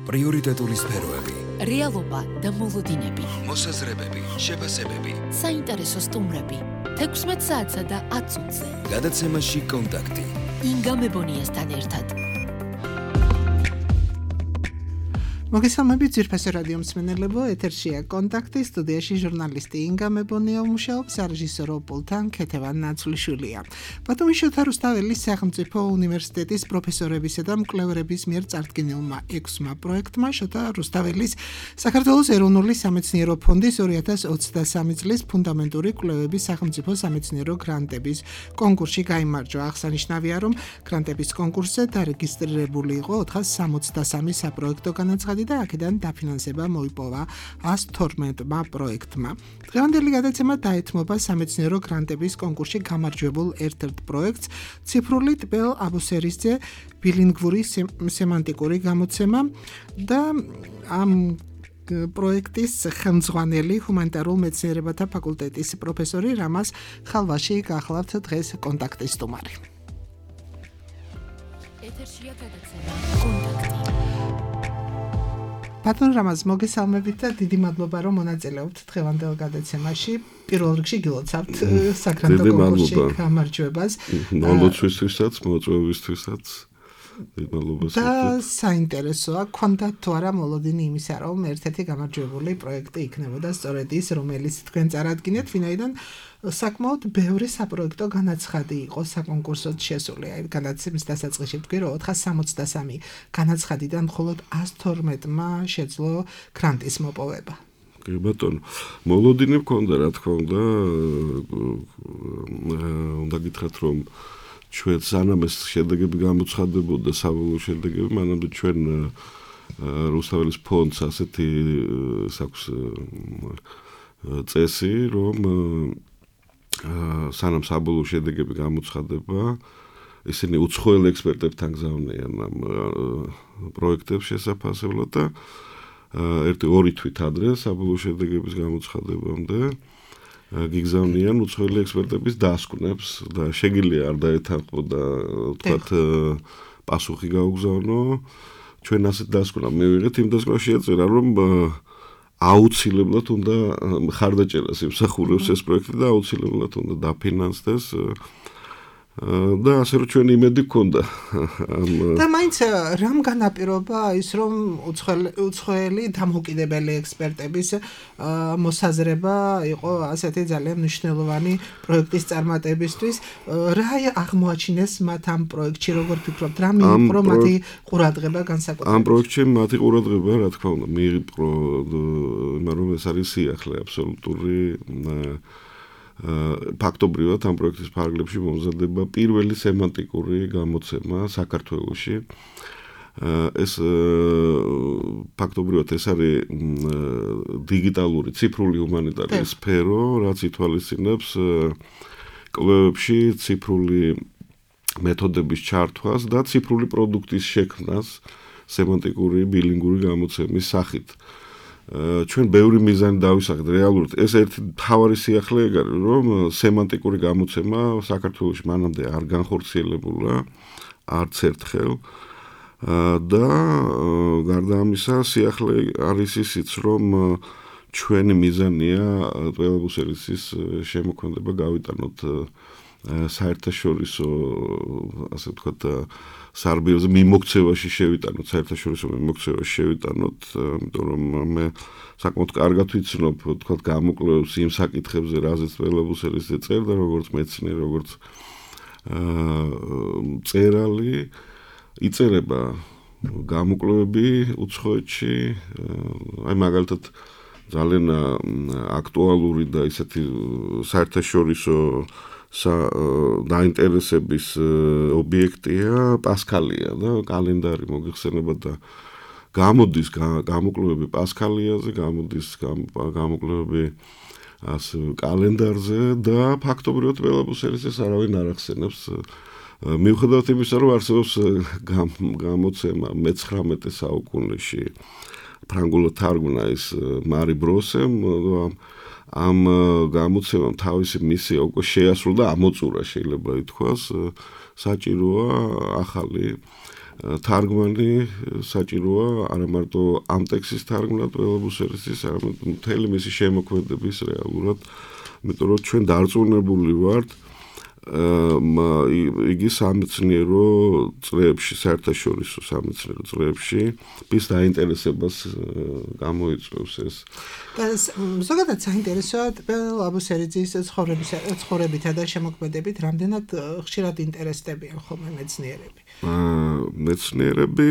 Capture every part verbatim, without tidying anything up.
პრიორიტეტული სფეროები, რეალობა და მოლოდინები, მოსაზრებები, შეფასებები, საინტერესო სტუმრები, თექვსმეტ საათსა და ათ წუთზე. გადაცემაში კონტაქტი. ინგა მებონიასთან ერთად. მოგესალმებით ძვირფასი რადიო მსმენელებო, ეთერშია კონტაქტი, სტუდიაში ჟურნალისტი ინგა მებონია მუშაობს, რეჟისორი პულთან ქეთევან ნაცვლიშვილია. ბათუმის რუსთაველის სახელმწიფო უნივერსიტეტის პროფესორებისა და მკვლევარების მიერ წარდგენილმა ექვსმა პროექტმა შოთა რუსთაველის საქართველოს ეროვნული სამეცნიერო ფონდის ორი ათას ოცდასამი წლის ფუნდამენტური კვლევების სახელმწიფო სამეცნიერო გრანტების კონკურსში გაიმარჯვა. აღსანიშნავია, რომ გრანტების კონკურსზე დარეგისტრირებული იყო ოთხას სამოცდასამი საპროექტო განაცხადი და აქედან დაფინანსება მოიპოვა ას თორმეტმა პროექტმა. დღევანდელი გადაცემა დაეთმობა სამეცნიერო გრანტების კონკურსში გამარჯვებულ ერთ-ერთ პროექტს, ციფრული ტბელ აბუსერისძე ბილინგვური სემანტიკური გამოცემა და ამ პროექტის ხელმძღვანელი ჰუმანიტარულ მეცნიერებათა ფაკულტეტის პროფესორი რამაზ ხალვაში გახლავთ დღეს კონტაქტის სტუმარი. ეთერშია გადაცემა კონტაქტი. ბატონ რამაზ, მოგესალმებით და დიდი მადლობა, რომ მონაწილეობთ დღევანდელ გადაცემაში. პირველ რიგში გილოცავთ საგრანტო კონკურსში გამარჯვებას. მოლოცვისთვისაც, მოწვევისთვისაც. და საინტერესოა, გქონდათ თუ არა მოლოდინი იმისა, რომ ერთ-ერთი გამარჯვებული პროექტი იქნებოდა სწორედ ის, რომელიც თქვენ წარადგინეთ, ვინაიდან საკმაოდ ბევრი საპროექტო განაცხადი იყო საკონკურსოდ შესული. აი, განაცემის დასაწყისში ვთქვი, რომ ოთხას სამოცდასამი განაცხადიდან მხოლოდ ას თორმეტმა შეძლო გრანტის მოპოვება. კი ბატონო, მოლოდინი მქონდა, რა თქმა უნდა, უნდა გითხრათ, რომ ჩვენ სანამ ეს შედეგები გამოცხადებოდა, საბოლოო შედეგები, მანამდე ჩვენ რუსთაველის ფონდს ასეთი აქვს წესი, რომ სანამ საბოლოო შედეგები გამოცხადება, ისინი უცხოელ ექსპერტებთან გზავნიან ამ პროექტებს შესაფასებლად და ერთი ორი თვით ადრე საბოლოო შედეგების გამოცხადებამდე გიგზავნიან უცხოელი ექსპერტების დასკვნებს და შეგიძლია არ დაეთანხმო და თქვათ პასუხი გაუგზავნო. ჩვენ ასეთ დასკვნა მივიღეთ, იმ დასკვნაში ეწერა, რომ აუცილებლად უნდა მხარდაჭერას იმსახურებს ეს პროექტი და აუცილებლად უნდა დაფინანსდეს და ასე რომ ჩვენ იმედი გქონდა. და მაინც რამ განაპირობა ის, რომ უცხოელი დამოუკიდებელი ექსპერტების მოსაზრება იყო ასეთი ძალიან მნიშვნელოვანი პროექტის წარმატებისთვის. რა აღმოაჩინეს მათ ამ პროექტში, როგორ ფიქრობთ, რა მიიპყრო მათი ყურადღება განსაკუთრებით? ამ პროექტში მათი ყურადღება, რა თქმა უნდა, მიიპყრო, მაგრამ ეს არის სიახლე აბსოლუტური. ფაქტობრივად ამ პროექტის ფარგლებში მომზადება პირველი სემანტიკური გამოცემა საქართველოში. ეს ფაქტობრივად ეს არის დიგიტალური ციფრული ჰუმანიტარული სფერო, რაც ითვალისწინებს კვლევებში ციფრული მეთოდების ჩართვას და ციფრული პროდუქტის შექმნას სემანტიკური ბილინგური გამოცემის სახით. ჩვენ ბევრი მიზანი დავისახეთ რეალურად. ეს ერთი მთავარი სიახლე ეგ არის, რომ სემანტიკური გამოცემა საქართველოში მანამდე არ განხორციელებულა არც ერთხელ და გარდა ამისა სიახლე არის ისიც, რომ ჩვენი მიზანია ტბელაბუსერისის შემოქმედება გავიტანოთ საერთაშორისო, ასე ვთქვათ, სარბიელზე მიმოქცევაში შევიტანოთ, საერთაშორისო მიმოქცევაში შევიტანოთ, იმიტომ რომ მე საკმაოდ კარგად ვიცნობ, ვთქვათ, გამოკვლევებს იმ საკითხებზე, რაზეც ტბელაბუსერისზე წერდა, როგორც მეცნიერი, როგორც მწერალი, იწერება გამოკვლევები უცხოეთში, აი მაგალითად ძალიან აქტუალური და ისეთი საერთაშორისო დაინტერესების ობიექტია პასკალია და კალენდარი მოგიხსენებათ და გამოდის გამოკვლევები პასკალიაზე, გამოდის გამოკვლევები ასე კალენდარზე და ფაქტობრივად ტბელაბუსერისს არავინ არ ახსენებს. მიუხედავად იმისა, რომ არსებობს გამოცემა მეცხრამეტე საუკუნეში ფრანგულად თარგმნა ის მარი ბროსემ, ამ გამოცემამ თავისი მისია უკვე შეასრულა და ამოწურა, შეიძლება ითქვას, საჭიროა ახალი თარგმანი საჭიროა არა მარტო ამ ტექსტის თარგმნა ტველებუსერისის, არამედ მთელი მისი შემოქმედების რეალურად, იმიტომ რომ ჩვენ დარწმუნებული ვართ იგი სამეცნიერო წლებში, საერთაშორისო სამეცნიერო წლებში მის დაინტერესებას გამოიწვევს ეს. ზოგადად საინტერესოა ტველებუსერიძის ცხოვრებითა და შემოქმედებით რამდენად ხშირად ინტერესდებიან ხოლმე მეცნიერები. მეცნიერები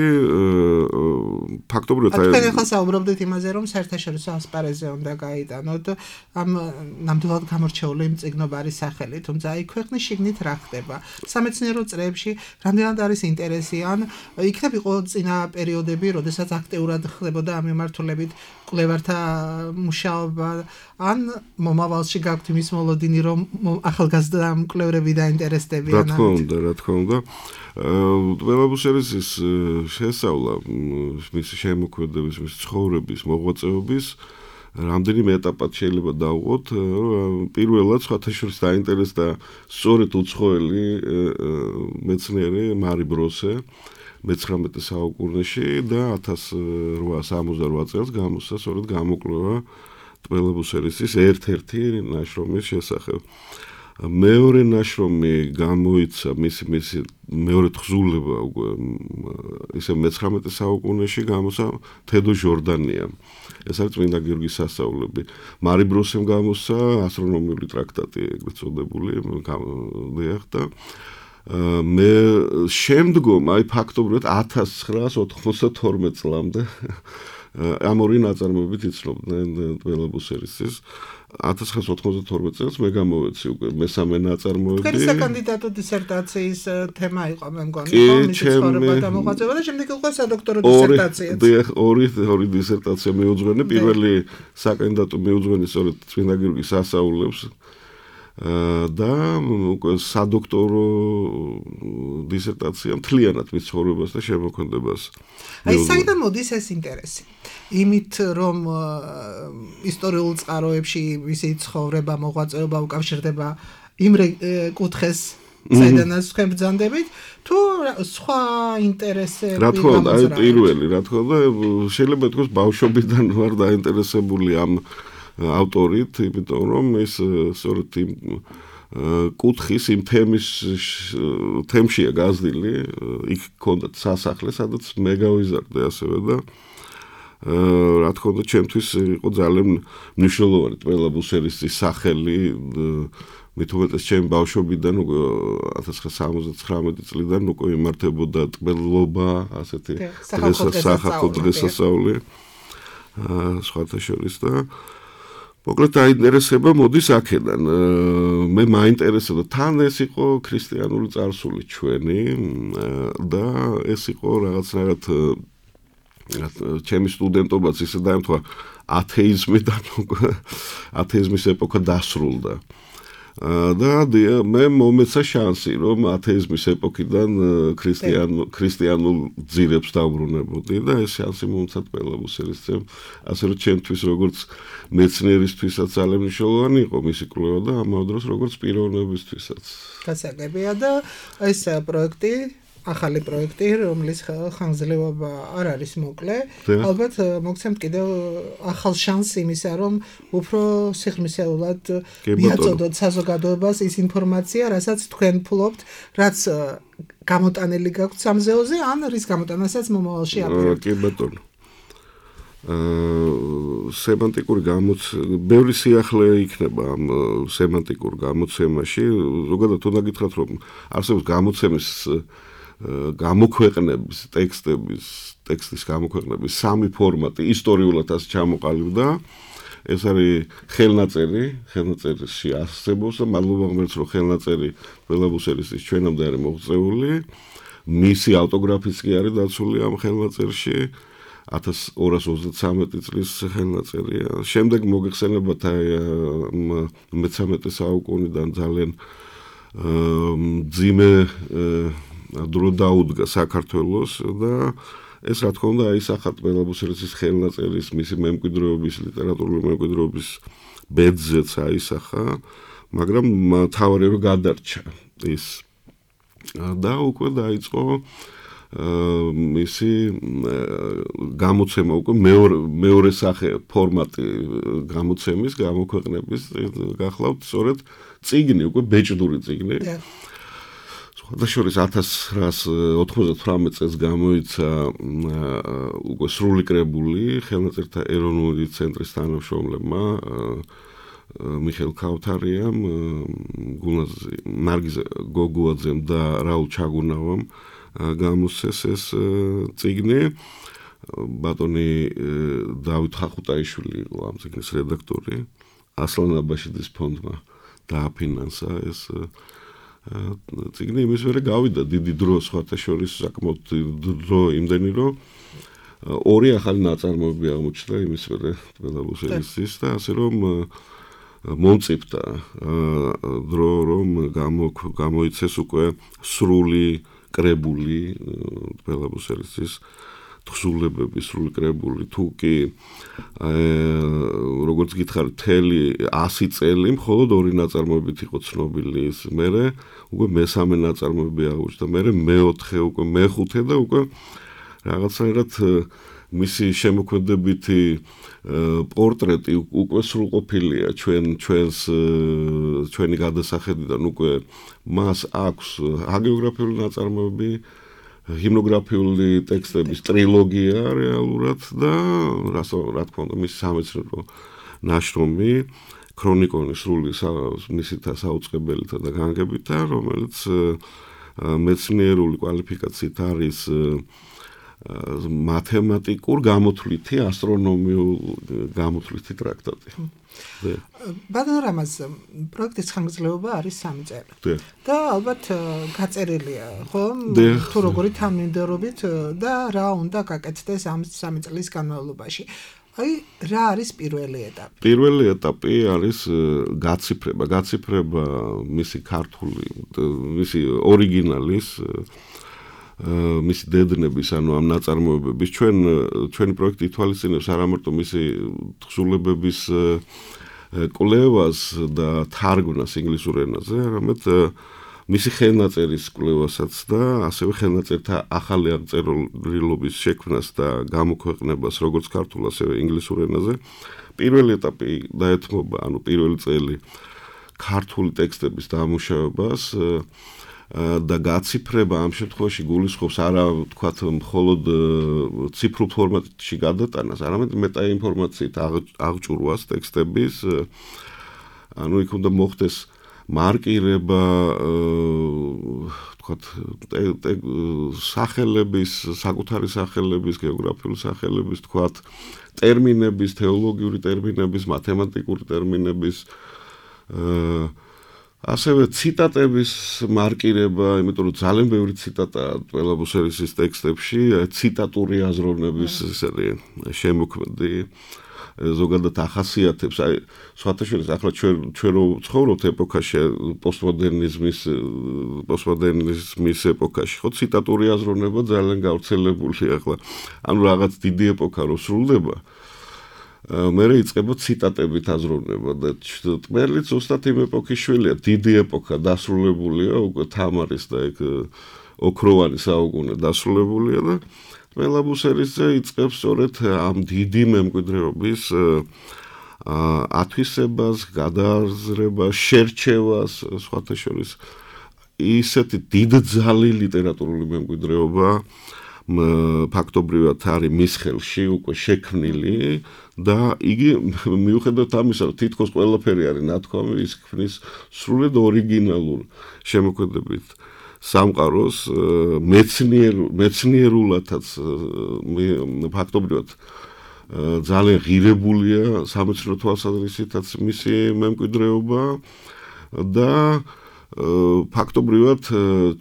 ფაქტობრივად აი თქვენ ახლა საუბრობდით იმაზე, რომ საერთაშორისო ასპარეზზე უნდა გაიტანოთ ამ ნამდვილად გამორჩეული მწიგნობარის სახელი, თუმცა აი ქვეყნის შიგნით რა ხდება? სამეცნიერო წრეებში რამდენად არის ინტერესი, ან იქნებ იყო წინა პერიოდები, როდესაც აქტიურად ხდებოდა ამ მიმართულებით კვლევართა მუშაობა, ან მომავალში გაქვთ იმის მოლოდინი, რომ ახალგაზრდა მკვლევრები დაინტერესდებიან? რა თქმა უნდა, რა თქმა უნდა. ტველებუსერისის შესწავლა, მისი შემოქმედების, მისი ცხოვრების, მოღვაწეობის რამდენიმე ეტაპად შეიძლება დავუყოთ. პირველად სხვათა შორის დაინტერესდა სწორედ უცხოელი მეცნიერი მარი ბროსე მეცხრამეტე საუკუნეში და ათას რვაასა ორმოცდარვა წელს გამოსცა სწორედ გამოკვლევა ტველებუსერისის ერთ-ერთი ნაშრომის შესახებ. მეორე ნაშრომი გამოიცა მისი მისი მეორე თხზულება უკვე ისე მეცხრამეტე საუკუნეში გამოსცა თედო ჟორდანია. ეს არის წმინდა გიორგის სასწაულები. მარი ბროსემ გამოსცა ასტრონომიული ტრაქტატი, ეგრეთ წოდებული, დიახ და მე შემდგომ აი ფაქტობრივად ათას ცხრაას ოთხმოცდათორმეტ წლამდე ამ ორი ნაწარმოებით იცნობდნენ ტველებუსერისის. ათას ცხრაას ოთხმოცდათორმეტ წელს მე გამოვეცი უკვე მესამე ნაწარმოები. თქვენი საკანდიდატო დისერტაციის თემა იყო, მე მგონი, ხო, მისი ცხოვრება და მოღვაწეობა და შემდეგ იყო სადოქტორო დისერტაციაც. დიახ, ორი ორი დისერტაცია მიუძღვენე. პირველი საკანდიდატო მიუძღვენე სწორედ წმინდა გიორგის სასწაულებს და უკვე სადოქტორო დისერტაცია მთლიანად მის ცხოვრებას და შემოქმედებას. აი, საიდან მოდის ეს ინტერესი? იმით, რომ ისტორიულ წყაროებში მისი ცხოვრება, მოღვაწეობა უკავშირდება იმ კუთხეს, საიდანაც თქვენ ბრძანდებით, თუ სხვა ინტერესები? რა თქმა უნდა, აი პირველი, რა თქმა უნდა, შეიძლება ითქვას ბავშვობიდან ვარ დაინტერესებული ამ ავტორით, იმიტომ რომ ის სწორედ იმ კუთხის, იმ თემის თემშია გაზრდილი, იქ ჰქონდა სასახლე, სადაც მე გავიზარდე ასევე და რა თქმა უნდა, ჩემთვის იყო ძალიან მნიშვნელოვანი ტველებუსერისის სახელი, მით უმეტეს ჩემი ბავშვობიდან უკვე ათას ცხრაას სამოცდათხრამეტი წლიდან უკვე იმართებოდა ტველობა, ასეთი სახალხო დღესასწაული სხვათა შორის და მოკლედ დაინტერესება მოდის აქედან. მე მაინტერესებდა, თან ეს იყო ქრისტიანული წარსული ჩვენი და ეს იყო რაღაცნაირად ჩემი სტუდენტობაც ისე დაემთხვა ათეიზმიდან, ათეიზმის ეპოქა დასრულდა. და მე მომეცა შანსი, რომ ათეიზმის ეპოქიდან ქრისტიანულ ძირებს დავბრუნებოდი და ეს შანსი მომეცა ტველებუსერისძემ, ასე რომ ჩემთვის როგორც მეცნიერისთვისაც ძალიან მნიშვნელოვანი იყო მისი კვლევა და ამავე დროს როგორც პიროვნებისთვისაც. გასაგებია და ეს პროექტი, ახალი პროექტი, რომლის ხანგრძლივობა არ არის მოკლე, ალბათ მოგცემთ კიდევ ახალ შანსს იმისა, რომ უფრო სიღრმისეულად მიაწოდოთ საზოგადოებას ის ინფორმაცია, რასაც თქვენ ფლობთ, რაც გამოტანილი გაქვთ სამზეოზე, ან რის გამოტანასაც მომავალში აპირებთ. კი ბატონო. სემანტიკური გამოცემა, ბევრი სიახლე იქნება ამ სემანტიკურ გამოცემაში. ზოგადად უნდა გითხრათ, რომ არსებობს გამოცემის გამოქვეყნების, ტექსტების, ტექსტის გამოქვეყნების სამი ფორმატი ისტორიულად ასე ჩამოყალიბდა. ეს არის ხელნაწერი, ხელნაწერში არსებობს და მადლობა ღმერთს, რომ ხელნაწერი ტველებუსერისის ჩვენამდე არის მოღწეული. მისი ავტოგრაფიც კი არის დაცული ამ ხელნაწერში. ათას ორას ოცდათსამეტი წლის ხელნაწერია. შემდეგ მოგეხსენებათ მეთერთმეტე საუკუნიდან ძალიან მძიმე დრო დაუდგა საქართველოს და ეს რა თქმა უნდა აისახა ტველებუსერისის ხელნაწერის მისი მემკვიდრეობის, ლიტერატურული მემკვიდრეობის ბედზეც აისახა, მაგრამ თავარი რომ გადარჩა ის და უკვე დაიწყო მისი გამოცემა უკვე მეორე მეორე სახე ფორმატი გამოცემის, გამოქვეყნების გახლავთ სწორედ წიგნი, უკვე ბეჭდური წიგნი. სხვადასხვა ათას რას ოთხმოცდათვრამეტ წელს გამოიცა უკვე სრული კრებული ხელნაწერთა ეროვნული ცენტრის თანამშრომლებმა მიხეილ ქავთარიამ, გულნაზ ნარგიზ გოგუაძემ და რაულ ჩაგუნავამ გამოსცეს ეს წიგნი. ბატონი დავით ხახუტაიშვილი იყო ამ წიგნის რედაქტორი. ასლან აბაშიძის ფონდმა დააფინანსა ეს წიგნი, იმის მერე გავიდა დიდი დრო, სხვათა შორის საკმაოდ დრო იმდენი, რომ ორი ახალი ნაწარმოები აღმოჩნდა იმის მერე თბილისის და ასე რომ მომწიფდა დრო, რომ გამოიცეს უკვე სრული კრებული თბილისის თხზულებები, სრული კრებული, თუ კი როგორც გითხარ, მთელი ასი წელი მხოლოდ ორი ნაწარმოებით იყო ცნობილი, ის მერე უკვე მესამე ნაწარმოები აღმოჩნდა, მერე მეოთხე, უკვე მეხუთე და უკვე რაღაცნაირად მისი შემოქმედებითი პორტრეტი უკვე სრულყოფილია ჩვენ ჩვენს ჩვენი გადასახედიდან, უკვე მას აქვს ჰაგიოგრაფიული ნაწარმოები, ჰიმნოგრაფიული ტექსტების ტრილოგია რეალურად და რა თქმა უნდა მის სამეცნიერო ნაშრომი ქრონიკონი სრული მისითა საუწყებელითა და განგებითა, რომელიც მეცნიერული კვალიფიკაციით არის მათემატიკურ გამოთვლითი ასტრონომიულ გამოთვლითი ტრაქტატი. ბატონ რამაზ, პროექტის ხანგრძლივობა არის სამი წელი. და ალბათ გაწერილია, ხო? თუ როგორი თანმიმდევრობით და რა უნდა გაკეთდეს ამ სამი წლის განმავლობაში. აი, რა არის პირველი ეტაპი? პირველი ეტაპი არის გაციფრება, გაციფრება მისი ქართული, მისი ორიგინალის მისი დედნების, ანუ ამ ნაწარმოებების ჩვენ ჩვენი პროექტი ითვალისწინებს არა მარტო მისი თხზულებების კვლევას და თარგმნას ინგლისურ ენაზე, არამედ მისი ხელნაწერის კვლევასაც და ასევე ხელნაწერთა ახალი აღწერილობის შექმნას და გამოქვეყნებას როგორც ქართულ, ასევე ინგლისურ ენაზე. პირველი ეტაპი დაეთმობა, ანუ პირველი წელი ქართული ტექსტების დამუშავებას და გაციფრება ამ შემთხვევაში გულისხმობს არა ვთქვათ მხოლოდ ციფრულ ფორმატში გადატანას, არამედ მეტაინფორმაციით აღჭურვას ტექსტების, ანუ იქ უნდა მოხდეს მარკირება, ვთქვათ, სახელების, საკუთარი სახელების, გეოგრაფიული სახელების, ვთქვათ, ტერმინების, თეოლოგიური ტერმინების, მათემატიკური ტერმინების, ასევე ციტატების მარკირება, იმიტომ რომ ძალიან ბევრი ციტატაა ტველაბუსერისის ტექსტებში, ციტატური აზროვნების შემოქმედი ზოგადად ახასიათებს, აი სხვათა შორის ახლა ჩვენ ჩვენ რო ცხოვრობთ ეპოქაში, პოსტმოდერნიზმის პოსტმოდერნიზმის ეპოქაში, ხო ციტატური აზროვნება ძალიან გავრცელებულია ახლა. ანუ რაღაც დიდი ეპოქა რო სრულდება, მერე იწყება ციტატებით აზროვნება და ტმერლიც უბრალოდ იმ ეპოქის შვილია, დიდი ეპოქა დასრულებულია, უკვე თამარის და ეგ ოქროვანი საუკუნე დასრულებულია და ტველაბუსერიძე იწყებს სწორედ ამ დიდი მემკვიდრეობის ათვისებას, გადააზრებას, შერჩევას, სხვათა შორის ისეთი დიდძალი ლიტერატურული მემკვიდრეობა ფაქტობრივად არის მის ხელში უკვე შექმნილი და იგი მიუხედავად ამისა, რომ თითქოს ყველაფერი არის ნათქვამი, ის ქმნის სრულად ორიგინალურ შემოქმედებით სამყაროს მეცნიერულადაც ფაქტობრივად ძალიან ღირებულია სამეცნიერო თვალსაზრისითაც მისი მემკვიდრეობა და ფაქტობრივად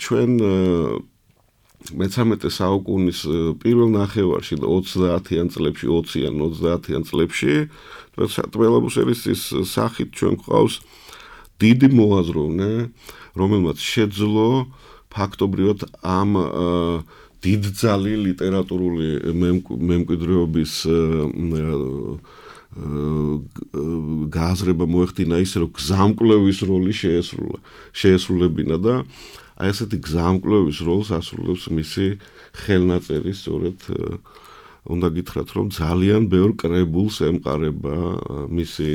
ჩვენ მეცამეტე საუკუნის პირველ ნახევარში და ოცდაათიან წლებში, ოციან ოცდაათიან წლებში ტველაბუსერისის სახით ჩვენ გვყავს დიდი მოაზროვნე, რომელმაც შეძლო ფაქტობრივად ამ დიდძალი ლიტერატურული მემკვიდრეობის გააზრება მოეხდინა ისე რომ გზამკვლევის როლი შეესრულა შეესრულებინა და აი ესეთი გზამკვლევის როლს ასრულებს მისი ხელნაწერი სწორედ უნდა გითხრათ რომ ძალიან ბევრ კრებულს ემყარება მისი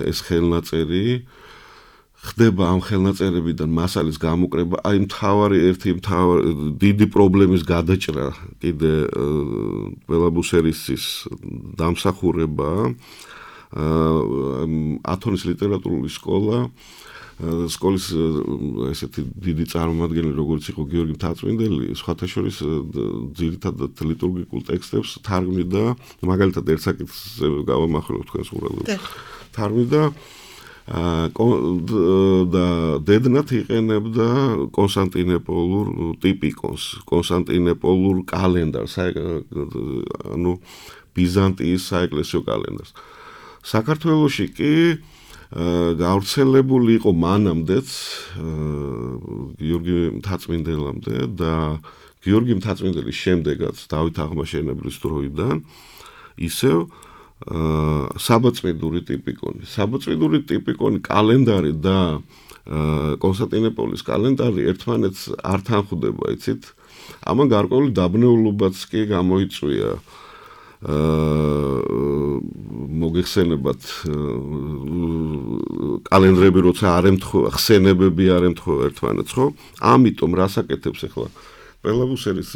ეს ხელნაწერი ხდება ამ ხელნაწერებიდან მასალის გამოკრება აი მთავარი ერთი მთავარი დიდი პრობლემის გადაჭრა კიდე ბელაბუსერისის დამსახურება ათონის ლიტერატურული სკოლა სკოლის ესეთი დიდი წარმომადგენელი როგორც იყო გიორგი მთაწმინდელი სხვათა შორის ძირითადად ლიტურგიკულ ტექსტებს თარგმნიდა მაგალითად ერთ საკითხს გავამახვილებ თქვენს ყურადღებას თარგმნიდა და დედნათ იყენებდა კონსტანტინოპოლურ ტიპიკონს, კონსტანტინოპოლურ კალენდარს, ანუ ბიზანტიის საეკლესიო კალენდარს. საქართველოში კი გავრცელებული იყო მანამდეც გიორგი მთაწმინდელამდე და გიორგი მთაწმინდელის შემდეგაც დავით აღმაშენებლის დროიდან ისევ საბაწმიდური ტიპიკონი. საბაწმიდური ტიპიკონი კალენდარი და კონსტანტინოპოლის კალენდარი ერთმანეთს არ თანხვდება, იცით? ამან გარკვეული დაბნეულობაც კი გამოიწვია. მოგეხსენებათ კალენდრები როცა არ ემთხვევა, ხსენებები არ ემთხვევა ერთმანეთს, ხო? ამიტომ რასაკეთებს ახლა ბელაბუსერის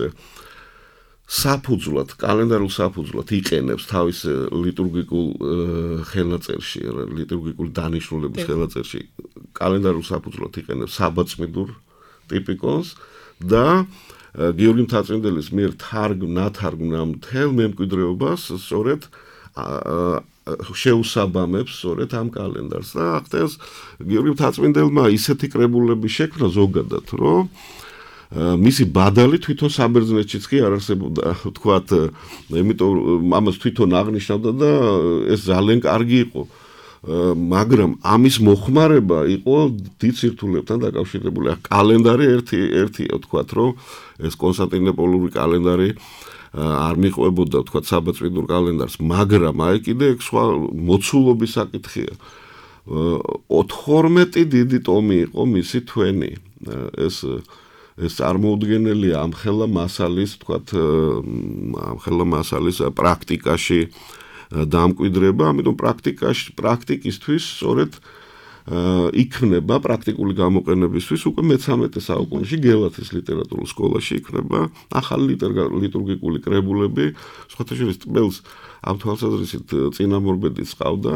საფუძვლად, კალენდარულ საფუძვლად იყენებს თავის ლიტურგიკულ ხელნაწერში, ლიტურგიკული დანიშნულების ხელნაწერში კალენდარულ საფუძვლად იყენებს საბაწმიდურ ტიპიკონს და გიორგი მთაწმინდელის მიერ ნათარგმნა მთელ მემკვიდრეობას სწორედ შეუსაბამებს სწორედ ამ კალენდარს და ახდენს გიორგი მთაწმინდელმა ისეთი კრებულები შექმნა ზოგადად, რომ მისი ბადალი თვითონ საბერძნეთშიც კი არ არსებობდა, თქვათ, იმიტომ ამას თვითონ აღნიშნავდა და ეს ძალიან კარგი იყო. მაგრამ ამის მოხმარება იყო დიდ სირთულებთან დაკავშირებული. კალენდარი ერთი ერთია, თქვათ, რომ ეს კონსტანტინოპოლური კალენდარი არ მიყვებოდა, თქვათ, საბაწმიდურ კალენდარს, მაგრამ აი კიდე სხვა მოცულობის საკითხია. ოცდაორმეტი დიდი ტომი იყო მისი თვენი. ეს ეს წარმოუდგენელია ამხელა მასალის, თქვათ, ამხელა მასალის პრაქტიკაში დამკვიდრება, ამიტომ პრაქტიკაში, პრაქტიკისთვის სწორედ იქნება პრაქტიკული გამოყენებისთვის უკვე მეთერთმეტე საუკუნეში გელათის ლიტერატურულ სკოლაში იქნება ახალი ლიტურგიკული კრებულები, სხვათა შორის ტბელს ამ თვალსაზრისით წინამორბედიც ყავდა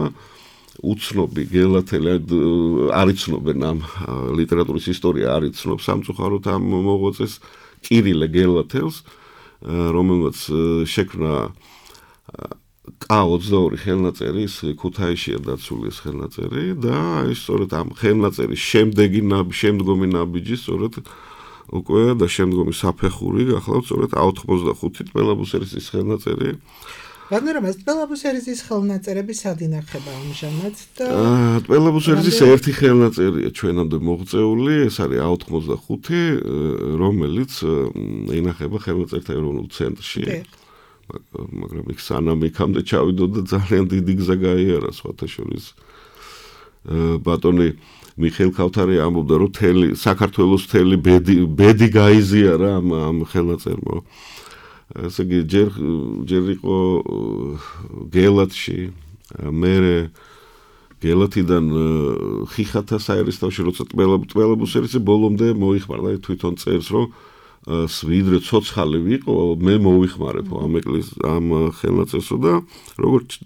უცნობი გელათელი არ იცნობენ ამ ლიტერატურის ისტორია არ იცნობს სამწუხაროდ ამ მოღვაწეს კირილე გელათელს რომელმაც შექმნა კა ოცდაორი ხელნაწერი ქუთაისშია დაცული ეს ხელნაწერი და ის სწორედ ამ ხელნაწერის შემდეგი შემდგომი ნაბიჯი სწორედ უკვე და შემდგომი საფეხური გახლავთ სწორედ ათორმოცდახუთი ბელაბუსერის ხელნაწერი მაგრამ ეს ბელაბუსერის ხელნაწერები სად ინახება ამჟამად და ბელაბუსერის ერთი ხელნაწერია ჩვენამდე მოღწეული ეს არის ათორმოცდახუთი რომელიც ინახება ხელნაწერთა ეროვნულ ცენტრში მაგრამ იქ სანამ იქამდე ჩავიდო და ძალიან დიდი გზა გაიარა სხვათა შორის ბატონი მიხეილ ქავთარი ამბობდა რომ თელი საქართველოს თელი ბედი ბედი გაიზიარა ამ ამ ხელნაწერმა ესე იგი ჯერ ჯერ იყო გელათში მერე გელათიდან ხიხათა საერისთავოში როცა ტბელაბუსერის ბოლომდე მოიხმარდა თვითონ წერს რომ სვიდრე ცოცხალი ვიყო მე მოვიხმარებ ამ ეკლეს ამ ხელნაწერსო და როგორც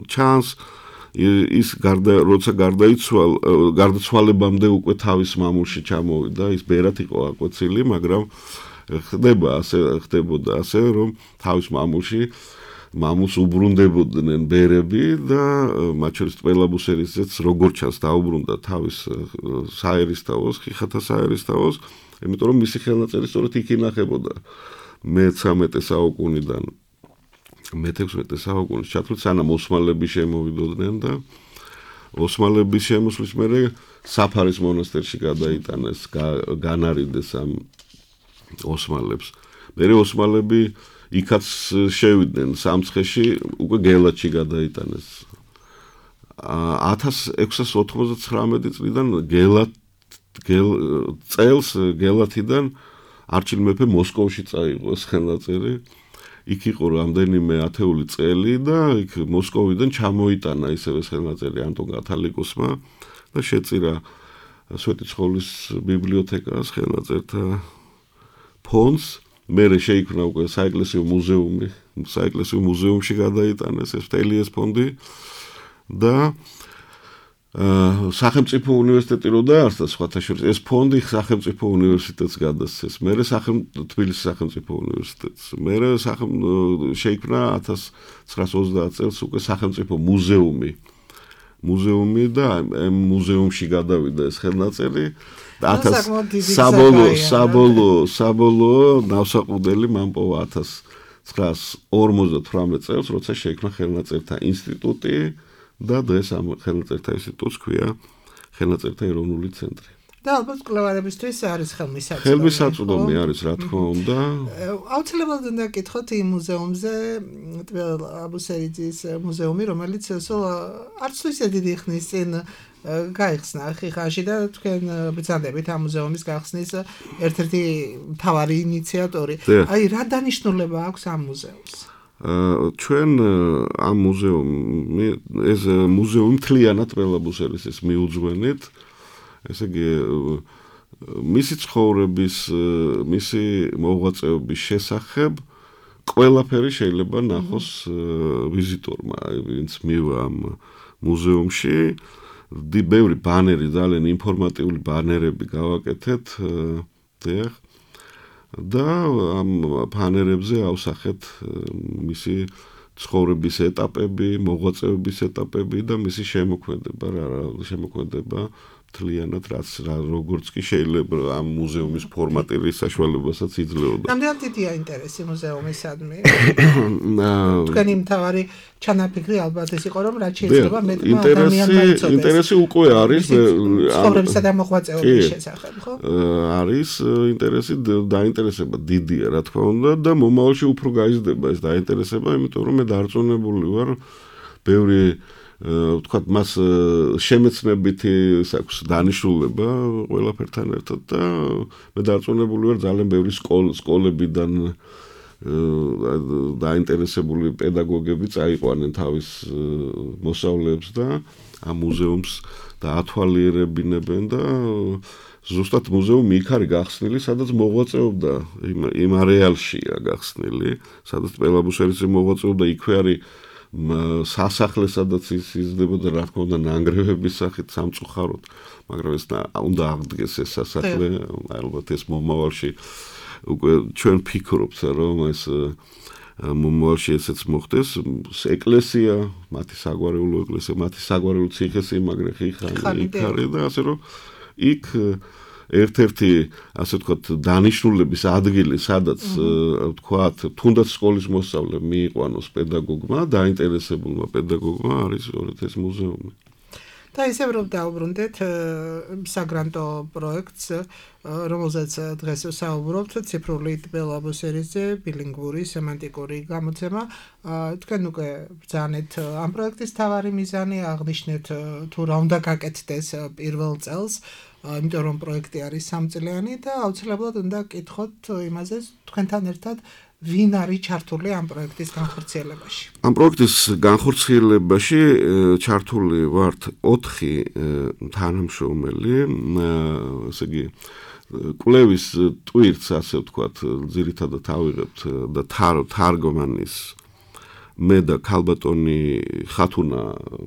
ჩანს ის გარდა როცა გარდაიცვალ გარდაცვალებამდე უკვე თავის მამულში ჩამოვიდა ის ბერად იყო აკვეცილი მაგრამ ხდება ასე ხდებოდა ასე რომ თავის მამულში მამულს უბრუნდებოდნენ ბერები და მათ შორის ტბელაბუსერისაც როგორც ჩანს დაუბრუნდა თავის საერისთავოს ხიხათა საერისთავოს იმიტომ რომ მისი ხელნაწერი სწორედ იქ ინახებოდა მეთერთმეტე საუკუნიდან მეთექვსმეტე საუკუნის ჩათვლით სანამ ოსმალები შემოვიდოდნენ და ოსმალების შემოსვლის მერე საფარის მონასტერში გადაიტანეს განარიდეს ამ ოსმალებს მერე ოსმალები იქაც შევიდნენ სამცხეში, უკვე გელათში გადაიტანეს. ათას ექვსას ოთხმოცდათვრამეტი წლიდან გელათ გელ წელს გელათიდან არჩილ მეფე მოსკოვში წაიღო ეს ხელნაწერი. იქ იყო რამდენიმე ათეული წელი და იქ მოსკოვიდან ჩამოიტანა ისევ ეს ხელნაწერი ანტონ კათალიკოსმა და შეწირა სვეტიცხოვლის ბიბლიოთეკას ხელნაწერთა ფონდს. მერე შეიქმნა უკვე საეკლესიო მუზეუმი, საეკლესიო მუზეუმში გადაიტანეს ეს მთელი ეს ფონდი და სახელმწიფო უნივერსიტეტი რო დაარსდა სხვათა შორის ეს ფონდი სახელმწიფო უნივერსიტეტს გადასცეს. მერე თბილისის სახელმწიფო უნივერსიტეტს. მერე შეიქმნა ათას ცხრაას ოცდაათ წელს უკვე სახელმწიფო მუზეუმი. მუზეუმი და ამ მუზეუმში გადავიდა ეს ხელნაწერი. ათას საბოლოო საბოლოო საბოლოო ნავსაყუდელი მან პოვა ათას ცხრაას ორმოცდათვრამეტ წელს, როცა შეიქმნა ხელნაწერთა ინსტიტუტი და დღეს ამ ხელნაწერთა ინსტიტუტს ქვია ხელნაწერთა ეროვნული ცენტრი. და ალბათ კვლევარებისთვის არის ხელმისაწვდომი. ხელმისაწვდომი არის, რა თქმა უნდა. აუცილებლად უნდა გითხოთ იმ მუზეუმზე, ტბილ აბუსერიძის მუზეუმი, რომელიც სულ არც თუ ისე დიდი ხნის წინ გაიხსნა ხიხანში და თქვენ ბრძანდებით ამ მუზეუმის გახსნის ერთ-ერთი მთავარი ინიციატორი. აი, რა დანიშნულება აქვს ამ მუზეუმს? ჩვენ ამ მუზეუმი ეს მუზეუმი მთლიანად ბელაბუსერის ეს მიუძღვენით, ესე იგი მისი ცხოვრების, მისი მოღვაწეობის შესახებ ყველაფერი შეიძლება ნახოს ვიზიტორმა, ვინც მივა ამ მუზეუმში. ბევრი ბანერი, ძალიან ინფორმატიული ბანერები გავაკეთეთ, დიახ. და ამ ბანერებზე ავსახეთ მისი ცხოვრების ეტაპები, მოღვაწეობის ეტაპები და მისი შემოქმედება, რა შემოქმედება მთლიანად რაც როგორც კი შეიძლება ამ მუზეუმის ფორმატირის საშუალებასაც იძლეოდა. რამდენად დიდია ინტერესი მუზეუმისადმი? თქვენი მთავარი ჩანაფიქრი ალბათ ეს იყო, რომ რაც შეიძლება მეტმა ადამიანმა იცოდეს. ინტერესი უკვე არის ცხოვრებისა და მოღვაწეობის შესახებ, ხო? არის ინტერესი, დაინტერესება დიდია, რა თქმა უნდა და მომავალში უფრო გაიზრდება ეს დაინტერესება, იმიტომ რომ მე დარწმუნებული ვარ ბევრი ვთქვათ მას შემეცნებითი აქვს დანიშნულება ყველაფერთან ერთად და მე დარწმუნებული ვარ ძალიან ბევრი სკოლებიდან დაინტერესებული პედაგოგები წაიყვანენ თავის მოსწავლეებს და ამ მუზეუმს დაათვალიერებინებენ და ზუსტად მუზეუმი იქ არის გახსნილი, სადაც მოღვაწეობდა იმ არეალშია გახსნილი, სადაც ბელაბუსერის მოღვაწეობდა, იქვე არის სასახლე, სადაც ის იზრდებოდა, რა თქმა უნდა, ნანგრევების სახით სამწუხაროდ, მაგრამ ეს უნდა აღდგეს ეს სასახლე, ალბათ ეს მომავალში უკვე ჩვენ ფიქრობთ, რომ ეს მომავალში ესეც მოხდეს. ეკლესია, მათი საგვარეულო ეკლესია, მათი საგვარეულო ციხესიმაგრე ხიხანი იქ არის და ასე რომ იქ ერთ-ერთი ასე ვთქვათ დანიშნულების ადგილი, სადაც ვთქვათ, თუნდაც სკოლის მოსწავლე მიიყვანოს პედაგოგმა, დაინტერესებულმა პედაგოგმა არის ეს მუზეუმი. და ისევ რომ დავუბრუნდეთ საგრანტო პროექტს, რომელზეც დღეს ვსაუბრობთ, ციფრული ბელაბუსერიზე ბილინგვური სემანტიკური გამოცემა. თქვენ უკვე ბრძანეთ ამ პროექტის თავარი მიზანი, აღნიშნეთ თუ რა უნდა გაკეთდეს პირველ წელს, იმიტომ რომ პროექტი არის სამწლიანი და აუცილებლად უნდა გკითხოთ იმაზე თქვენთან ერთად ვინ არის ჩართული ამ პროექტის განხორციელებაში? ამ პროექტის განხორციელებაში ჩართული ვართ ოთხი თანამშრომელი, ესე იგი კვლევის ტვირთს, ასე ვთქვათ, ძირითადად ავიღებთ და თარგმანის მე და ქალბატონი ხათუნა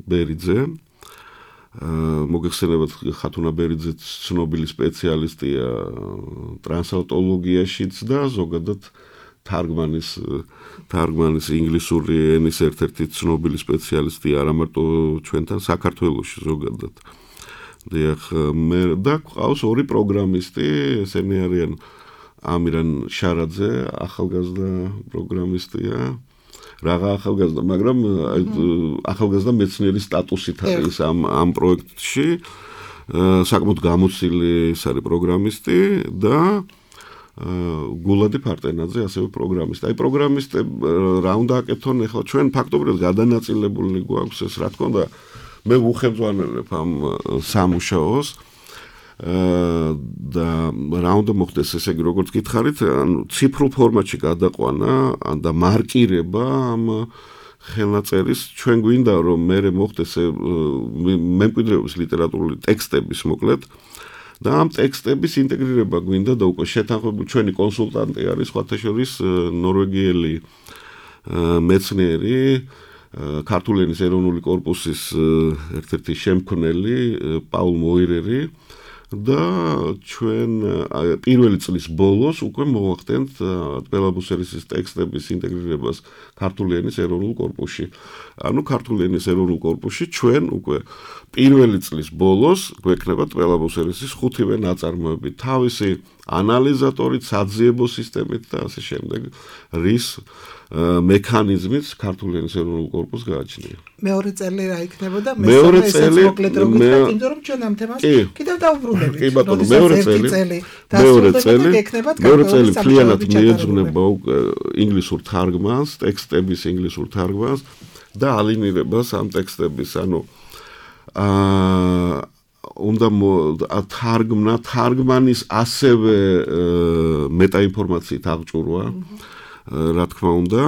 ბერიძე. მოგეხსენებათ, ხათუნა ბერიძე ცნობილი სპეციალისტია ტრანსლატოროლოგიაშიც და ზოგადად თარგმანის თარგმანის ინგლისური ენის ერთ-ერთი ცნობილი სპეციალისტი არა მარტო ჩვენთან საქართველოში ზოგადად. დიახ, მე და ყავს ორი პროგრამისტი, ესენი არიან ამირან შარაძე, ახალგაზრდა პროგრამისტია. რაღა ახალგაზრდა, მაგრამ ახალგაზრდა მეცნიერის სტატუსით არის ამ ამ პროექტში. საკმაოდ გამოცილი ის არის პროგრამისტი და გულადი ფარტენაძე, ასევე პროგრამისტი. აი პროგრამისტები რა უნდა აკეთონ ახლა ჩვენ ფაქტობრივად გადანაწილებული გვაქვს ეს, რა თქმა უნდა, მე ვუხელმძღვანელებ ამ სამუშაოს და რა უნდა მოხდეს, ესე იგი, როგორც გითხარით, ანუ ციფრულ ფორმატში გადაყვანა და მარკირება ამ ხელნაწერის. ჩვენ გვინდა რომ მე მოხდეს მემკვიდრეობის ლიტერატურული ტექსტების მოკლედ და ამ ტექსტების ინტეგრირება გვინდა და უკვე შეთანხმებული ჩვენი კონსულტანტი არის სხვათა შორის ნორვეგიელი მეცნიერი, ქართული ენის ეროვნული კორპუსის ერთ-ერთი შემქმნელი პაულ მოირერი და ჩვენ პირველი წლის ბოლოს უკვე მოვახდენთ ტველაბუსერისის ტექსტების ინტეგრირებას ქართული ენის ეროვნულ კორპუსში. ანუ ქართული ენის ეროვნულ კორპუსში ჩვენ უკვე პირველი წლის ბოლოს გვექნება ტველაბუსერისის ხუთივე ნაწარმოები თავისი ანალიზატორით, საძიებო სისტემით და ასე შემდეგ, რის მექანიზმით ქართული ენის ეროვნულ კორპუსს გააჩნია. მეორე წელი რა იქნებოდა? მეორე წელი მოკლედ რო გითხრათ, იმიტომ რომ ჩვენ ამ თემას კიდევ დავუბრუნდებით. კი ბატონო, მეორე წელი, მეორე წელი, მეორე წელი მთლიანად მიეძღვნება ინგლისურ თარგმანს, ტექსტების ინგლისურ თარგმანს და ალინირებას ამ ტექსტების, ანუ აა უნდა თარგმნა, თარგმანის ასევე მეტაინფორმაციით აღჭურვა, რა თქმა უნდა,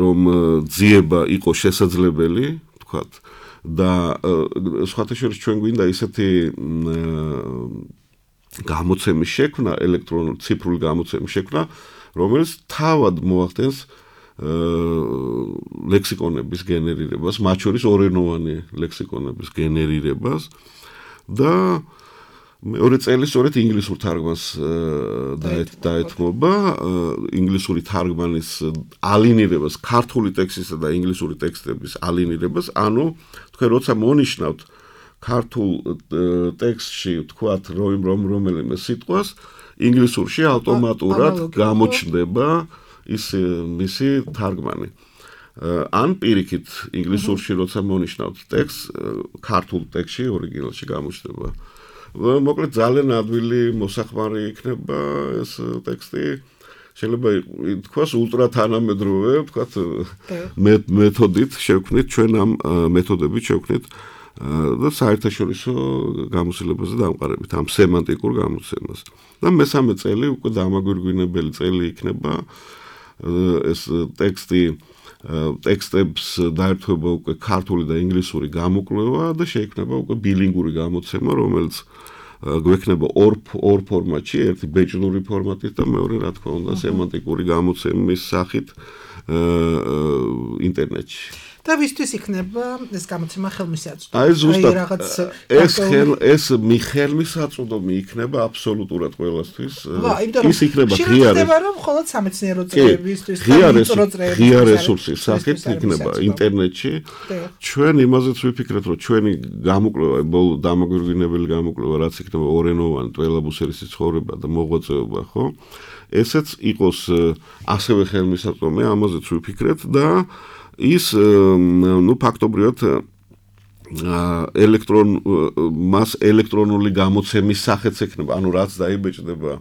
რომ ძიება იყოს შესაძლებელი, თქვათ, და სხვათა შორის ჩვენ გვინდა ისეთი გამოცემის შექმნა, ელექტრონული ციფრული გამოცემის შექმნა, რომელიც თავად მოახდენს ლექსიკონების გენერირებას, მათ შორის ორენოვანი ლექსიკონების გენერირებას და მეორე წელი სწორედ ინგლისურ თარგმანს დაეთმობა, ინგლისური თარგმანის ალინირებას, ქართული ტექსტისა და ინგლისური ტექსტების ალინირებას, ანუ თქვენ როცა მონიშნავთ ქართულ ტექსტში თქვათ რომ რომელიმე სიტყვას, ინგლისურში ავტომატურად გამოჩნდება ის მისი თარგმანი. ან პირიქით ინგლისურში როცა მონიშნავთ ტექსტს, ქართულ ტექსტში ორიგინალში გამოჩნდება. მოკლედ ძალიან ადვილი მოსახმარი იქნება ეს ტექსტი. შეიძლება ითქვას ულტრათანამედროვე, ვთქვათ, მეთოდით შევქმნით, ჩვენ ამ მეთოდებით შევქმნით და საერთაშორისო გამოცდილებაზე დამყარებით ამ სემანტიკურ გამოცემას. და მესამე წელი უკვე დამაგვირგვინებელი წელი იქნება ეს ტექსტი ტექსტებს დაერთვება უკვე ქართული და ინგლისური გამოკვლევა და შეიქმნება უკვე ბილინგური გამოცემა, რომელიც გვექნება ორ ორ ფორმატში, ერთი ბეჭდური ფორმატით და მეორე, რა თქმა უნდა, სემანტიკური გამოცემის სახით ინტერნეტში. და ვისთვის იქნება ეს გამოცემა ხელმისაწვდომი? აი ზუსტად ეს ხელ ეს მიხელმისაწვდომი იქნება აბსოლუტურად ყველასთვის. ის იქნება ღია რომ მხოლოდ სამეცნიერო წრეებისთვის და ვიწრო წრეებისთვის. ღია რესურსის სახით იქნება ინტერნეტში. ჩვენ იმაზეც ვიფიქრეთ, რომ ჩვენი გამოკვლევა, ბოლო დამაგვირგვინებელი გამოკვლევა, რაც იქნება ორენოვანი ტველაბუსერისის ცხოვრება და მოღვაწეობა, ხო? ესეც იყოს ასევე ხელმისაწვდომი, ამაზეც ვიფიქრეთ და ის ნუ ფაქტობრივად ელექტრონ მას ელექტრონული გამოცემის სახეც ექნება, ანუ რაც დაიბეჭდება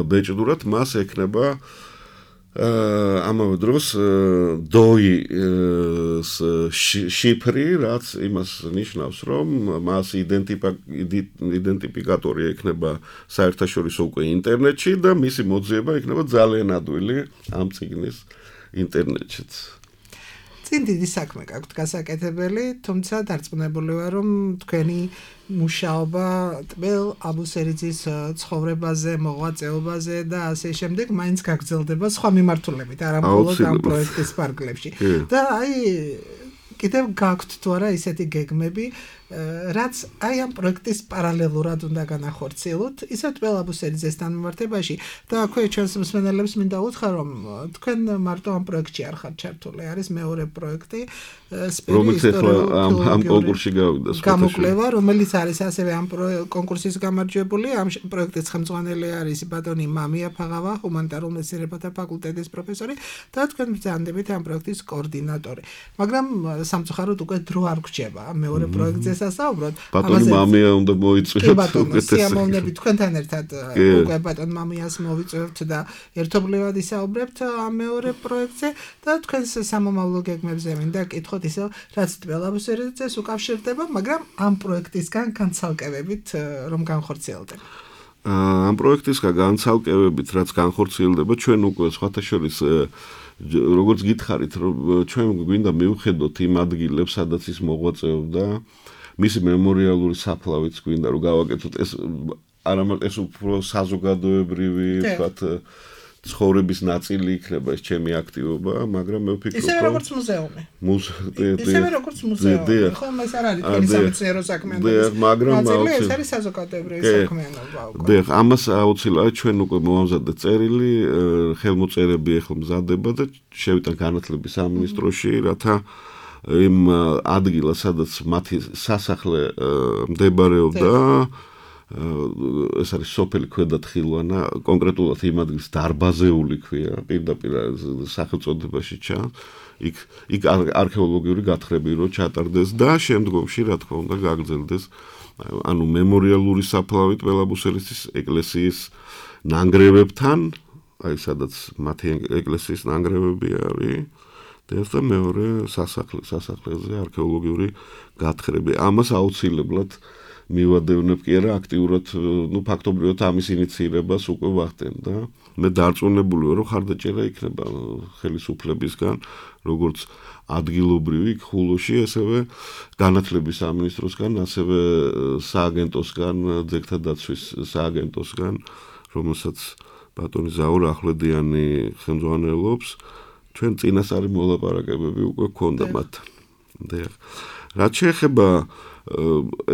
ბეჭდურად, მას ექნება ამავე დროს დოი-ის შიფრი, რაც იმას ნიშნავს, რომ მას იდენტიფიკატორი ექნება საერთაშორისო უკვე ინტერნეტში და მისი მოძიება იქნება ძალიან ადვილი ამ წიგნის ინტერნეტშიც. წინ დიდი საქმე გაქვთ გასაკეთებელი, თუმცა დარწმუნებული ვარ, რომ თქვენი მუშაობა ტბელ აბუსერიძის ცხოვრებაზე, მოღვაწეობაზე და ასე შემდეგ მაინც გაგრძელდება სხვა მიმართულებით, არა მხოლოდ ამ პროექტის ფარგლებში. და აი კიდევ გაქვთ თუ არა ისეთი გეგმები, რაც აი ამ პროექტის პარალელურად უნდა განახორციელოთ, ისე ტბელ აბუსერიძესთან მიმართებაში და აქვე ჩვენს მსმენელებს მინდა უთხრა, რომ თქვენ მარტო ამ პროექტში არ ხართ ჩართული, არის მეორე პროექტი, რომელიც ახლა ამ კონკურსში გავიდა, გამოკვლევა, რომელიც არის ასევე ამ კონკურსის გამარჯვებული, ამ პროექტის ხელმძღვანელი არის ბატონი მამია ფაღავა, ჰუმანიტარულ მეცნიერებათა ფაკულტეტის პროფესორი და თქვენ ბრძანდებით ამ პროექტის კოორდინატორი. მაგრამ სამწუხაროდ უკვე დრო არ გვჭება მეორე პროექტზე გასასაუბროთ. ბატონი მამია უნდა მოიწვიოთ. ბატონო, სიამოვნებით თქვენთან ერთად უკვე ბატონ მამიას მოვიწვევთ და ერთობლივად ისაუბრებთ ამ მეორე პროექტზე და თქვენს სამომავლო გეგმებზე მინდა კითხოთ ისევ, რაც თბილისის უკავშირდება, მაგრამ ამ პროექტისგან განცალკევებით რომ განხორციელდება. ამ პროექტისგან განცალკევებით რაც განხორციელდება, ჩვენ უკვე სხვათა შორის როგორც გითხარით, რომ ჩვენ გვინდა მივხედოთ იმ ადგილებს, სადაც ის მოღვაწეობდა, მისი მემორიალური საფლავიც გვინდა რომ გავაკეთოთ ეს არამარტო ეს უფრო საზოგადოებრივი, ვთქვათ, ცხოვრების ნაწილი იქნება ეს ჩემი აქტივობა, მაგრამ მე ვფიქრობ, ისევე როგორც მუზეუმი. მუზეუმი. ისევე როგორც მუზეუმი. ხო, ეს არ არის თქვენი სამეცნიერო საქმიანობის. მაგრამ ეს არის საზოგადოებრივი საქმიანობა უკვე. დიახ, ამას აუცილებლად ჩვენ უკვე მოვამზადეთ წერილი, ხელმოწერები ახლა მზადდება და შევიტან განათლების სამინისტროში, რათა იმ ადგილას, სადაც მათი სასახლე მდებარეობდა, ეს არის სოფელი ქვედათხილვანა, კონკრეტულად იმ ადგილს დარბაზეული ქვია, პირდაპირ სახელწოდებაში ჩანს. იქ იქ არქეოლოგიური გათხრები რო ჩატარდეს და შემდგომში, რა თქმა უნდა, გაგრძელდეს ანუ მემორიალური საფლავით ბელაბუსელის ეკლესიის ნანგრევებთან, აი სადაც მათი ეკლესიის ნანგრევები არის. და მეორე სასახლე, სასახლეზე არქეოლოგიური გათხრები. ამას აუცილებლად მივადევნებ კი არა აქტიურად, ну ფაქტობრივად ამის ინიციირებას უკვე ვახდენ და მე დარწმუნებული ვარ, რომ ხარდაჭერა იქნება ხელისუფლებისგან, როგორც ადგილობრივი ხულოში, ასევე განათლების სამინისტროსგან, ასევე სააგენტოსგან, ძეგლთა დაცვის სააგენტოსგან, რომელსაც ბატონი ზაურ ახვლედიანი ხელმძღვანელობს. ჩვენ წინასწარი მოლაპარაკებები უკვე გქონდა მათთან. დიახ. რაც შეეხება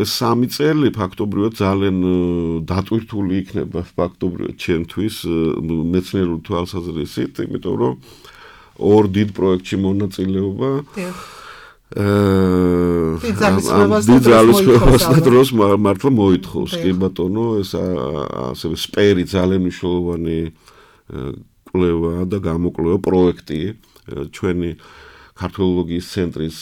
ეს სამი წელი ფაქტობრივად ძალიან დატვირთული იქნება ფაქტობრივად ჩემთვის მეცნიერული თვალსაზრისით, იმიტომ რომ ორ დიდ პროექტში მონაწილეობა დიდ ძალისხმევას და დროს მართლა მოითხოვს, კი ბატონო, ეს ასევე სპერი ძალიან მნიშვნელოვანი კვლევა და გამოკვლევა პროექტი ჩვენი ქართოლოგიის ცენტრის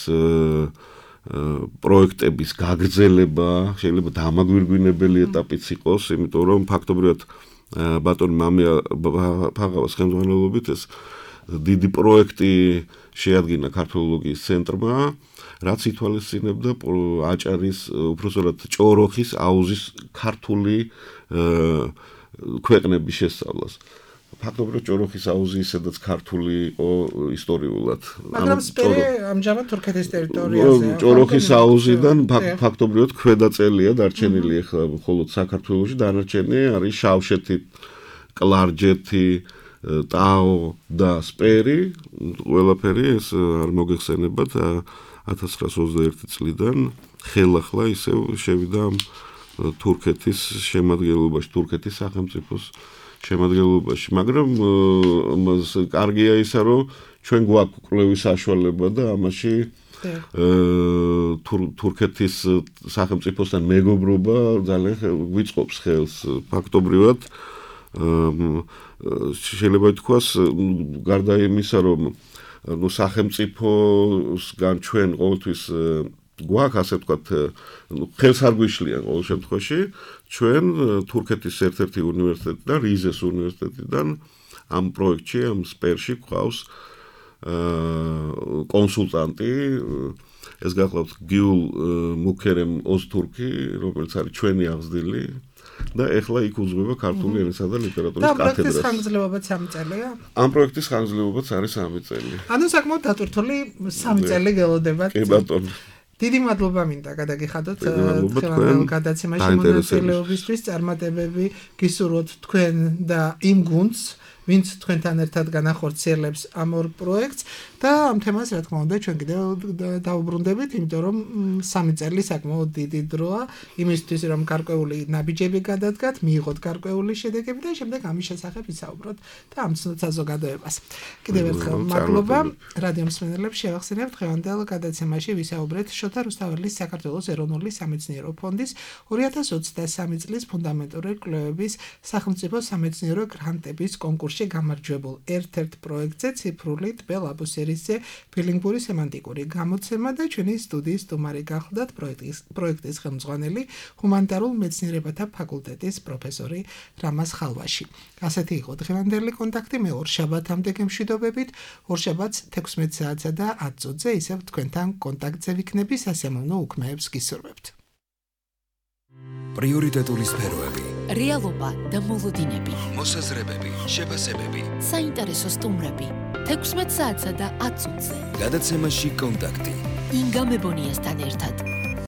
პროექტების გაგრძელება შეიძლება დამაგვირგვინებელი ეტაპიც იყოს, იმიტომ რომ ფაქტობრივად ბატონი მამია ფაღავას ხელმძღვანელობით ეს დიდი პროექტი შეადგინა ქართოლოგიის ცენტრმა, რაც ითვალისწინებდა აჭარის, უпроსტად ჭოროხის აუზის ქართული ქვეყნების შესწავლას. ფაქტობრივად ჭოროხის აუზი ისედაც ქართული იყო ისტორიულად. მაგრამ სპერი ამჟამად თურქეთის ტერიტორიაზე. ჭოროხის აუზიდან ფაქტობრივად ქვედაწელია დარჩენილი ახლა მხოლოდ საქართველოში, დანარჩენი არის შავშეთი, კლარჯეთი, ტაო და სპერი, ყველაფერი ეს არ მოგეხსენებათ ათას ცხრაას ოცდაერთი წლიდან ხელახლა ისევ შევიდა თურქეთის შემადგენლობაში, თურქეთის სახელმწიფოს შემადგენლობაში, მაგრამ კარგია ისა, რომ ჩვენ გვაქვს კვლევის საშუალება და ამაში თურქეთის სახელმწიფოსთან მეგობრობა ძალიან გვიწყობს ხელს. ფაქტობრივად შეიძლება ითქვას, გარდა იმისა, რომ ნუ სახელმწიფოსგან ჩვენ ყოველთვის გვაქვს, ასე ვთქვათ, ხელს არ გვიშლიან ყოველ შემთხვევაში, ჩვენ თურქეთის ერთ-ერთი უნივერსიტეტიდან, რიზეს უნივერსიტეტიდან ამ პროექტში, ამ სპერში გვყავს კონსულტანტი, ეს გახლავთ გიულ მუქერემ ოზთურქი, რომელიც არის ჩვენი აღზრდილი და ეხლა იქ უძღვება ქართული ენისა და ლიტერატურის კათედრას. და პროექტის ხანგრძლივობაც სამი წელია? ამ პროექტის ხანგრძლივობაც არის სამი წელი. ანუ საკმაოდ დატვირთული სამი წელი გელოდებათ. კი ბატონო. დიდი მადლობა მინდა გადაგიხადოთ თქვენ გადაცემაში მონაწილეობისთვის, წარმატებები გისურვოთ თქვენ და იმ გუნდს, ვინც თქვენთან ერთად განახორციელებს ამ ორ პროექტს და ამ თემას რა თქმა უნდა ჩვენ კიდევ დავუბრუნდებით, იმიტომ რომ სამი წელი საკმაოდ დიდი დროა იმისთვის, რომ გარკვეული ნაბიჯები გადადგათ, მიიღოთ გარკვეული შედეგები და შემდეგ ამის შესახებ ვისაუბროთ და ამცნოთ საზოგადოებას. კიდევ ერთხელ მადლობა რადიო მსმენელებს, შევახსენებთ დღევანდელ გადაცემაში ვისაუბრეთ შოთა რუსთაველის საქართველოს ეროვნული სამეცნიერო ფონდის ორი ათას ოცდასამი წლის ფუნდამენტური კვლევების სახელმწიფო სამეცნიერო გრანტების კონკურსში პორტალში გამარჯვებულ ერთ-ერთ პროექტზე ციფრული ტბე ლაბუსერისზე ბილინგური სემანტიკური გამოცემა და ჩვენი სტუდიის სტუმარი გახლდათ პროექტის პროექტის ხელმძღვანელი ჰუმანიტარულ მეცნიერებათა ფაკულტეტის პროფესორი რამაზ ხალვაში. ასეთი იყო დღევანდელი კონტაქტი. მე ორშაბათამდე გემშვიდობებით. ორშაბათს თექვსმეტ საათსა და ათ წუთზე ისევ თქვენთან კონტაქტზე ვიქნები. სასიამოვნო უქმეებს გისურვებთ. პრიორიტეტული სფეროები, რეალობა და მოლოდინები, მოსაზრებები, შეფასებები, საინტერესო სტუმრები. თექვსმეტ საათსა და ათ წუთზე. გადაცემაში კონტაქტი. ინგა მებონიასთან ერთად.